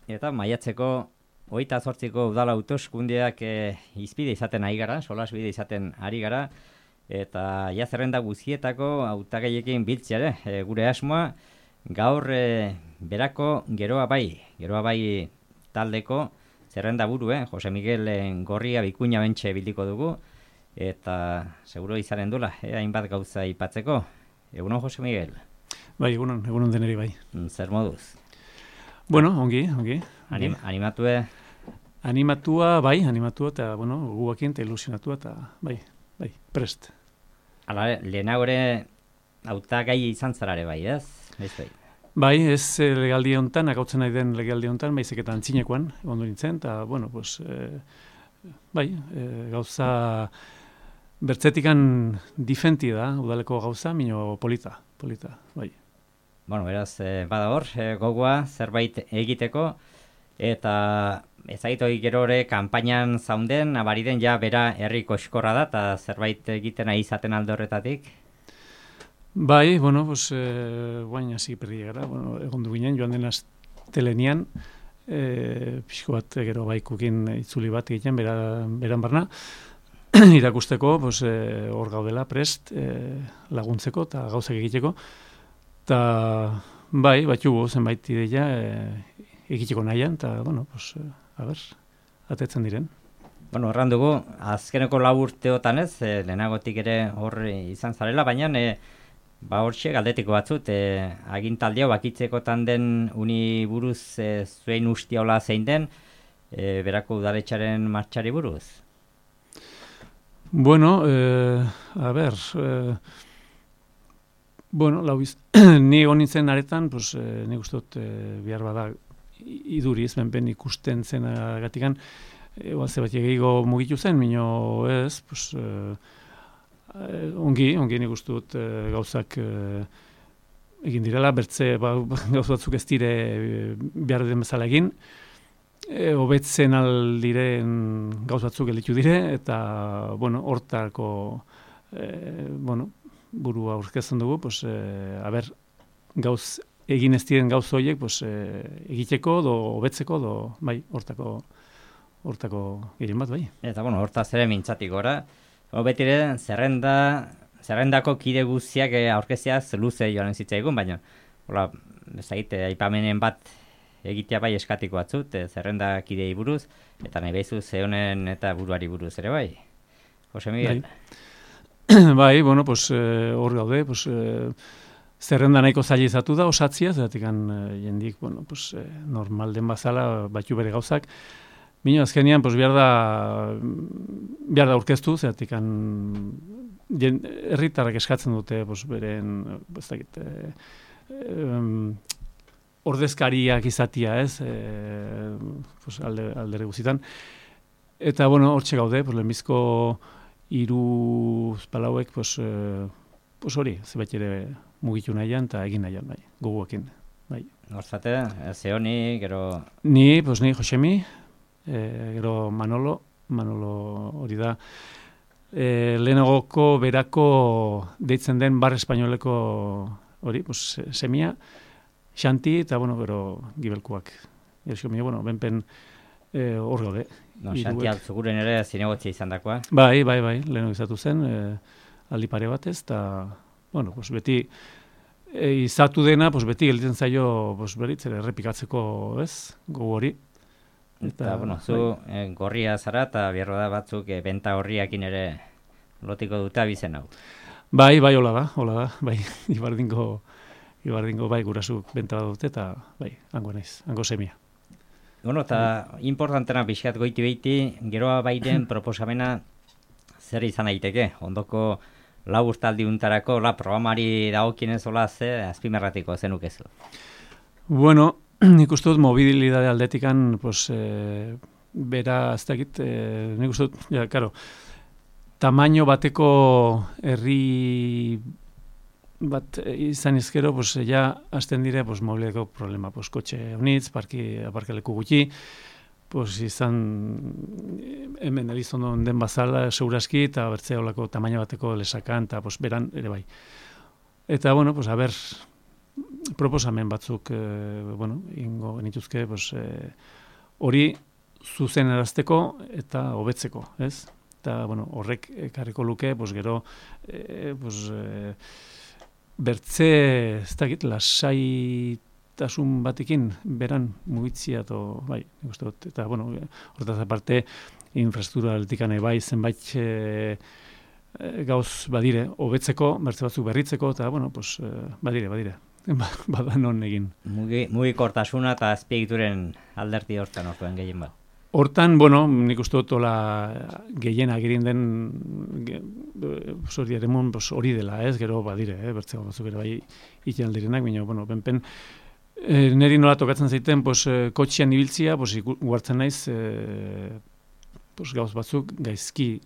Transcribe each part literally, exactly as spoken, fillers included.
eta maiatzeko hogeita zortziko udala hauteskundeak e, izpide izaten ari gara, solasbide izaten ari gara, eta ja zerrenda guztietako hautagaiekin biltzeare, e, gure asmoa, gaur e, berako geroa bai, geroa bai taldeko zerrenda buru, eh? Jose Miguel Gorria Bikuña bentxe bildiko dugu, eta seguro izanen dula, eh? hainbat gauza ipatzeko. Egunon, Jose Miguel? Bai, egunon, egunon deneri bai. Zer moduz? Bueno, ongi, ongi. Anim, animatue? Animatua, bai, animatua, eta, bueno, guakin, eta ilusionatua, eta, bai, bai, prest. Hala, lehenagore hautagai izan zarare bai, ez? Ez bai. Bai, ez legaldi honetan, akautzen nahi den legaldi honetan, baizik eta antzinekoan, ondo nintzen, eta, bueno, pues, eh, bai, eh, gauza bertzetikan difenti da, udaleko gauza, mino polita, polita, bai. Bueno, beraz, eh, bada hor, eh, gogoa, zerbait egiteko, eta ezagito gerore kanpainan zaunden, abariden ja bera herriko eskorra da, eta zerbait egiten nahi izaten alde horretatik? Bai, bueno, pues, eh, guain hasi perri gara, bueno, egon du ginen, joan den astelenian, eh, pixko bat gero baikukin itzuli bat egiten, bera, beran barna, irakusteko, pues, eh, hor gaudela prest, eh, laguntzeko eta gauzak egiteko, eta bai, batxugu zenbait ideia eh, egiteko nahian, eta, bueno, pues, eh, a ber, atetzen diren. Bueno, erran dugu, azkeneko lau urteotan ez, eh, lehenagotik ere hor izan zarela, baina eh, ba hortxe galdetiko batzut, eh, agintaldia bakitzekotan den uni buruz eh, zuen ustiaola zein den, eh, berako udaletxaren martxari buruz? Bueno, eh, a ber, eh, bueno, lau iz, ni egon nintzen aretan, pues, eh, ni gustot eh, bihar bada iduriz, benpen ikusten zen gatikan, eh, oalze bat egeiko mugitu zen, mino ez, pues, eh, ongi, ongi ni gustot eh, gauzak eh, egin direla, bertze ba, gauz batzuk ez dire eh, behar den bezala egin, E, hobetzen aldiren gauz batzuk gelditu dire, eta, bueno, hortako, e, bueno, burua aurkezten dugu, pues, e, aber, gauz, egin ez diren gauz horiek, pues, e, egiteko, do, hobetzeko, do, bai, hortako, hortako gehien bat, bai. Eta, bueno, hortaz ere mintzatik gora, betire, zerrenda, zerrendako kide guztiak aurkeziaz luze joan zitzaigun, baina, hola, ez egite, aipamenen bat, egitea bai eskatiko batzut, e, zerrenda kidei buruz, eta nahi behizu zehonen eta buruari buruz ere bai. Jose Miguel? Bai, bai bueno, pues, hor gaude, pues, eh, zerrenda nahiko zailizatu da, osatzia, zeratik eh, jendik, bueno, pues, eh, normal den bazala, batxu bere gauzak, Bino, azkenean, pues, behar da, behar da aurkeztu, zeratik herritarrak eskatzen dute, pues, beren, ez dakit, eh, eh, ordezkariak izatia, ez, e, pues, alde, aldere guzitan. Eta, bueno, hortxe gaude, pues, lehenbizko hiru palauek, pues, e, pues hori, zebait ere mugitu nahian, eta egin nahian, bai, goguekin, bai. Horzate, Zeoni, gero... Ni, pues, ni, Josemi, e, gero Manolo, Manolo hori da, e, lehenagoko berako deitzen den bar espainoleko hori, pues, semia, Xanti, eta, bueno, gero gibelkoak. Erzio mine, bueno, benpen eh, hor gaude. No, Xanti altzuguren ere zinegotzia izan dakoa. Bai, bai, bai, leheno izatu zen, eh, aldi pare batez, eta, bueno, pues, beti eh, izatu dena, pues, beti gelditzen zaio, pues, beritzere, errepikatzeko, ez, gogo hori. Eta, eta bueno, zu bai. eh, gorria zara, eta bierro da batzuk eh, benta horriakin ere lotiko dute abizen hau. Bai, bai, hola da, hola da, bai, ibardingo... Ibardingo bai gurasuk benta bat dute, eta bai, hango naiz, hango semia. Bueno, eta importantena pixkat goiti behiti, geroa baiden proposamena zer izan daiteke, ondoko lau urtaldi untarako, la programari dagokienez hola ze azpimerratiko zenukezu. Bueno, nik uste dut mobilidade aldetikan, pues, eh, bera, ez dakit, eh, nik uste dut, ja, karo, tamaino bateko herri bat izan izkero, pues, ja, azten dire, pues, mobileko problema, pues, kotxe honitz, parki, aparkaleku gutxi, pues, izan, hemen elizondo den bazala, seguraski, eta bertzea olako tamaina bateko lesakan, eta, pues, beran, ere bai. Eta, bueno, pues, a ber, proposamen batzuk, e, bueno, ingo genituzke, pues, e, hori zuzen erazteko eta hobetzeko, ez? Eta, bueno, horrek ekarriko luke, pues, gero, e, pues, e, bertze, ez dakit, lasaitasun batekin, beran mugitzia, to, bai, nik uste dut, eta, bueno, horretaz aparte, infrastruktura altikane bai, zenbait e, e, gauz badire, hobetzeko, bertze batzuk berritzeko, eta, bueno, pues, e, badire, badire, bada non egin. Mugi, mugikortasuna eta azpiegituren alderdi hortan orduan gehien bat. Hortan, bueno, nik uste dut hola gehien agirin den hori eremon hori dela, ez, gero badire, eh, bertzeko batzuk ere bai ikan aldirenak, baina, bueno, benpen, e, neri nola tokatzen zaiten, pues, e, kotxian ibiltzia, pues, guartzen naiz, e, pues, gauz batzuk gaizki,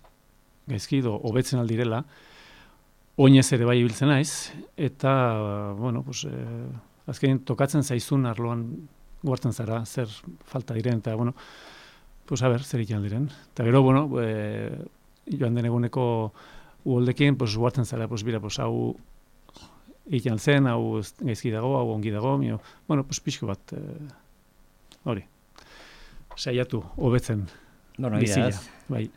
gaizki do, hobetzen aldirela, oinez ere bai ibiltzen naiz, eta, bueno, pues, e, azkenin tokatzen zaizun arloan guartzen zara, zer falta diren, eta, bueno, pues a ber, zer ikan diren. Eta gero, bueno, e, joan den eguneko uholdekin, pues, guartzen zara, pues, bira, pues, hau ikan zen, hau gaizki dago, hau ongi dago, mio, bueno, pues, pixko bat, hori, e, saiatu, hobetzen, bueno, bizila, bai.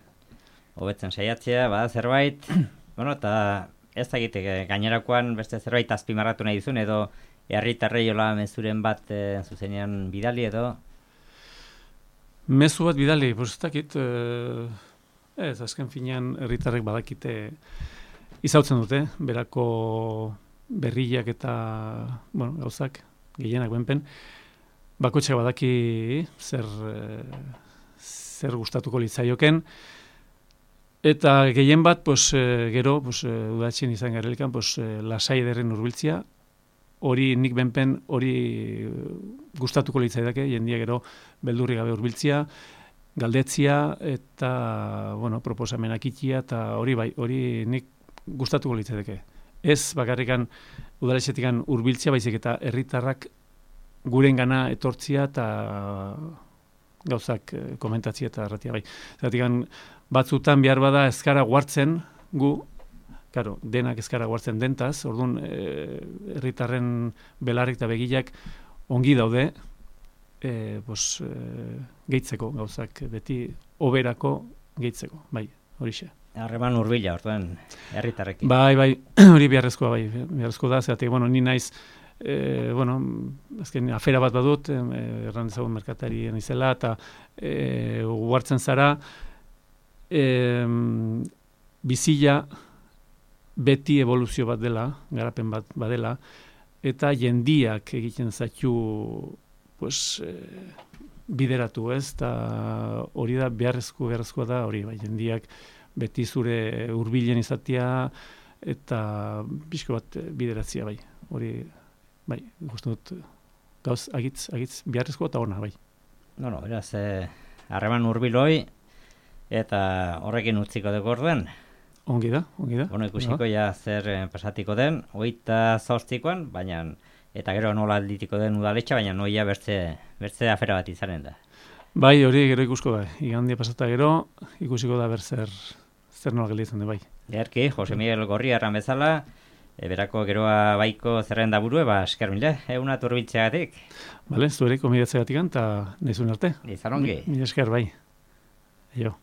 Hobetzen saiatzea, bada zerbait, bueno, eta ez dakitek, gainerakoan beste zerbait azpimarratu nahi dizun, edo herritarrei hola mezuren bat e, zuzenean bidali edo? Mezu bat bidali, pues ez dakit, eh, ez, azken finean herritarrek badakite izautzen dute, berako berriak eta, bueno, gauzak, gehienak benpen, bakotxak badaki zer, eh, zer gustatuko litzaioken, eta gehien bat, pues, eh, gero, pues, eh, udatxien izan garelikan, pues, eh, lasai ederren urbiltzia, hori nik benpen hori gustatuko litzaidake, jendia gero beldurri gabe hurbiltzia, galdetzia eta, bueno, proposamenak ikia, eta hori bai, hori nik gustatuko litzaidake. Ez bakarrikan udaletxetikan hurbiltzia, baizik eta herritarrak gurengana etortzia eta gauzak komentatzia eta erratia bai. Zeratikan batzutan behar bada ezkara guartzen gu, claro, denak ezkara guartzen dentaz, orduan herritarren e, belarrik eta begilak ongi daude, e, pues, e, gehitzeko gauzak, beti oberako gehitzeko, bai, horixe. Harreman hurbila, orduan, herritarrekin. Bai, bai, hori beharrezkoa, bai, beharrezkoa da, zeratik, bueno, ni naiz, e, bueno, azken afera bat badut, e, erran dezagun merkatarien izela, eta e, guartzen zara, e, bizila, beti evoluzio bat dela, garapen bat badela, eta jendiak egiten zaitu pues, eh, bideratu, ez? Eta hori da beharrezko beharrezkoa da, hori bai, jendiak beti zure hurbilen izatea eta pixko bat bideratzea, bai. Hori, bai, gustu dut gauz agitz, agitz beharrezkoa eta ona, bai. No, no, beraz, eh, harreman hurbiloi eta horrekin utziko dugu orduan. Ongi da, ongi da. Bueno, ikusiko ja zer eh, pasatiko den, hogeita zortzikoan, baina, eta gero nola alditiko den udaletxa, baina noia bertze, bertze afera bat izanen da. Bai, hori gero ikusko da. Igandia pasata gero, ikusiko da ber zer, zer nola gelditzen da, bai. Gerki, Jose Miguel Gorri erran bezala, e, berako geroa baiko zerrenda burue, ba, esker mila, euna turbiltzeagatik. Bale, zuereko midatzeagatik eta nizun arte. Izan ongi. Mi esker, bai. Aio.